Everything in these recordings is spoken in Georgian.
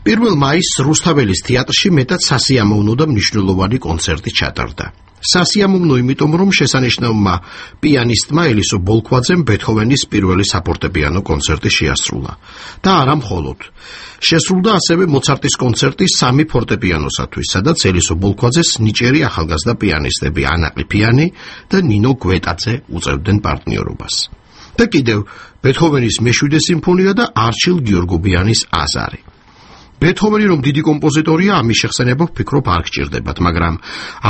1 მაისს რუსთაველის თეატრში მეტად სასიამოვნო და მნიშვნელოვანი კონცერტი ჩატარდა. სასიამოვნო იმიტომ, რომ შესანიშნავმა პიანისტმა ელისო ბოლქვაძემ ბეთჰოვენის პირველი საფორტეპიანო კონცერტი შეასრულა. და არა მხოლოდ. შესრულდა ასევე მოცარტის კონცერტი 3 ფორტეპიანოსათვის, სადაც ელისო ბოლქვაძეს ნიჭიერი ახალგაზრდა პიანისტები ანა ყიფიანი და ნინო გვეტაძე უწევდნენ პარტნიორობას. და კიდევ ბეთჰოვენის მე-7 სიმფონია და არჩილ გიორგობიანის აზარი. ბეთჰოვენი რომ დიდი კომპოზიტორია, ამის შეხსენება ვფიქრობ არ გჭირდებათ, მაგრამ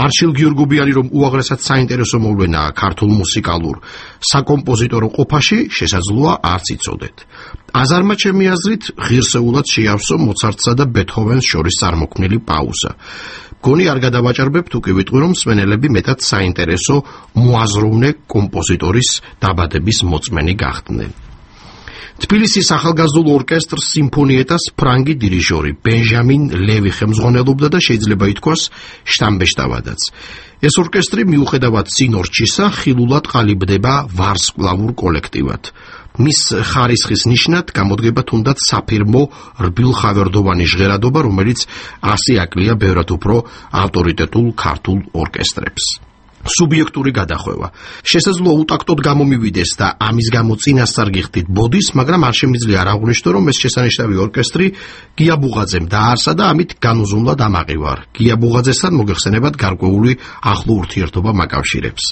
არჩილ გიორგობიანი რომ უაღრესად საინტერესო მოვლენაა ქართულ მუსიკალურ საკომპოზიტორო ყოფაში, შესაძლოა არც იცოდეთ. აზარმა ჩემი აზრით ღირსეულად შეავსო მოცარტსა და ბეთჰოვენს შორის წარმოქმნილი პაუზა. გონი არ გადავაჭარბებ თუ კი ვიტყვი, რომ მსმენელები მეტად საინტერესო მოაზროვნე კომპოზიტორის დაბადების მოწმენი გახდნენ. თბილისის ახალგაზრდულ ორკესტრს სიმფონიეტას ფრანგი დირიჟორი ბენჟამინ ლევი ხელმძღვანელობდა და შეიძლება ითქვას შტამბეშტავადაც. ეს ორკესტრი მიუხედავად წინორჩისა ხილულად ყალიბდება ვარსკვლავურ კოლექტივად. მის ხარისხის ნიშნად გამოდგება თუნდაც საფირმო რბილხავერდოვანი ჟღერადობა, რომელიც ასე აკლია ბევრად უფრო ავტორიტეტულ ქართულ ორკესტრებს. სუბიექტური გადახვევა. შესაძლოა უტაქტოდ გამომივიდეს და ამის გამო წინასწარ გიხდით ბოდის, მაგრამ არ შემიძლია არ აღვნიშნო, რომ ეს შესანიშნავი ორკესტრი გია ბუღაძემ დააარსა და ამით განუზომლა დამაყივარ. გია ბუღაძესთან მოგეხსენებათ გარკვეული ახლო ურთიერთობა მაკავშირებს.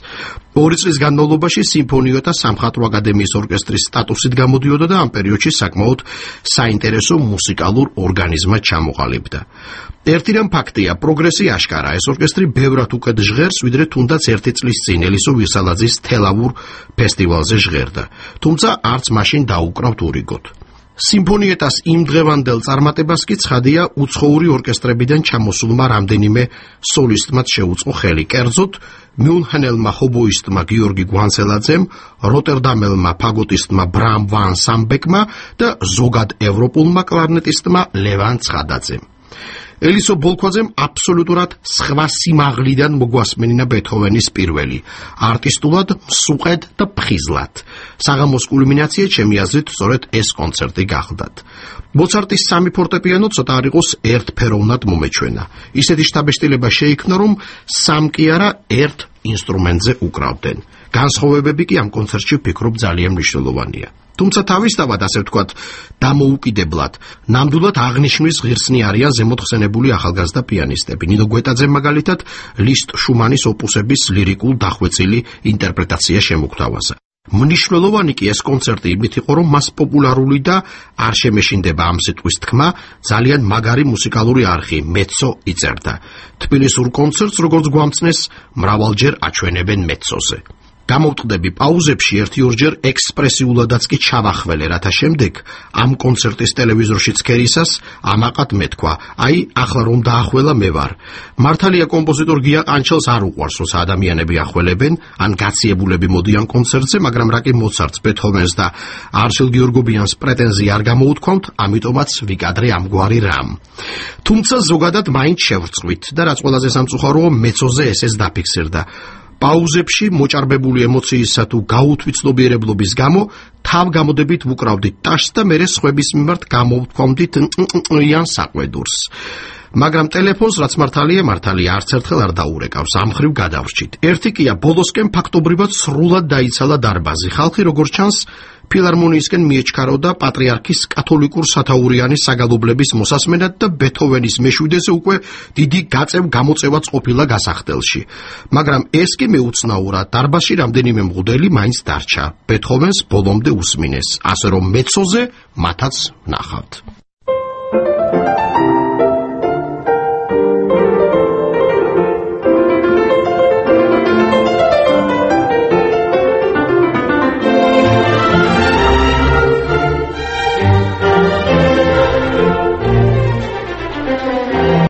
2 წლის განმავლობაში სიმფონიო და სამხატვრო აკადემიის ორკესტრის სტატუსით გამოდიოდა და ამ პერიოდში საკმაოდ საინტერესო მუსიკალურ ორგანიზმად ჩამოყალიბდა. ერთი რამ ფაქტია, პროგრესი აშკარა, ეს ორკესტრი ბევრად უკეთ ჟღერს, ვიდრე თუნდაც 1 წლის წინ ელისო ვირსალაძის თელავურ ფესტივალზე ჟღერდა. თუმცა არც მაშინ დაუკრავთ ურიგოთ. სიმფონიეტას იმ დღევანდელ წარმატებას კი ცხადია უცხოური ორკესტრებიდან ჩამოსულმა რამდენიმე სოლისტმაც შეუწყო ხელი. კერძოდ მიუნხენელმა ჰობოისტმა გიორგი გვანცელაძემ, როტერდამელმა ფაგოტისტმა ბრამ ვან სამბეკმა და ზოგად ევროპულმა კლარნეტისტმა ლევან ცხადაძემ. ელისო ბოლქვაძემ აბსოლუტურად სხვა სიმაღლიდან მოგვასმენინა ბეთჰოვენის პირველი, არტისტულად, მსუყედ და ფხიზლად. საღამოს კულმინაცია ჩემი აზრით სწორედ ეს კონცერტი გახლდათ. მოცარტის 3 ფორტეპიანო ცოტა არ იყოს ერთფეროვნად მომეჩვენა. ისეთი შთაბეჭდილება შეიქმნა, რომ 3 კი არა 1 ინსტრუმენტზე უკრავდნენ. განსხვავებები კი ამ კონცერტში ვფიქრობ ძალიან მნიშვნელოვანია. თუმცა თავისთავად, ასე ვთქვათ, დამოუკიდებლად, ნამდვილად აღნიშნვის ღირსნი არიან ზემოთ ხსენებული ახალგაზრდა პიანისტები. ნინო გვეტაძემ მაგალითად ლისტ შუმანის ოპუსების ლირიკულ დახვეწილი ინტერპრეტაცია შემოგთავაზა. მნიშვნელოვანი კი ეს კონცერტი იმით იყო, რომ მას პოპულარული და არ შემეშინდება ამ სიტყვის თქმა, ძალიან მაგარი მუსიკალური არხი მეცო იწერდა. თბილისურ კონცერტს, როგორც გვამცნეს, მრავალჯერ აჩვენებენ მეცოზე. გამოვტყდები პაუზებში 1-2 ექსპრესიულადაც კი ჩავახველე, რათა შემდეგ ამ კონცერტის ტელევიზორში ცქერისას ამაყად მეთქვა, აი ახლა რომ დაახველა მე ვარ. მართალია კომპოზიტორ გია ყანჩელს არ უყვარს, როცა ადამიანები ახველებენ, ან გაციებულები მოდიან კონცერტზე, მაგრამ რა კი მოცარტს, ბეთჰოვენს და არჩილ გიორგობიანს პრეტენზია არ გამოუთქვამთ, ამიტომაც ვიკადრე ამგვარი რამ. თუმცა ზოგადად მაინც შევრწყვით და რაც ყველაზე სამწუხაროა, მეცოზე ესეც დაფიქსირდა. პაუზებში მოჭარბებული ემოციისა თუ გაუთვითცნობიერებლობის გამო თავგამოდებით ვუკრავდით ტაშს და მერე სხვების მიმართ გამოვთქვამდით იან საყვედურს. მაგრამ ტელეფონს, რაც მართალია არც ერთხელ არ დაურეკავს, ამ ხრივ გადავრჩით. ერთი კია ბოლოსკენ ფაქტობრივად სრულად დაიცალა დარბაზი. ხალხი როგორც ჩანს ფილარმონიისკენ მიეჩქაროდა პატრიარქის კათოლიკურ სათაურიანის საგალობლების მოსასმენად და ბეთჰოვენის მე-7-ზე უკვე დიდი გაწევ-გამოწევაც ყოფილა გასახდელში. მაგრამ ეს კი მეუცნაურა, დარბაზში რამდენიმე მღვდელი მაინც დარჩა. ბეთჰოვენს ბოლომდე უსმინეს, ასე რომ მეცოზე მათაც ნახავთ.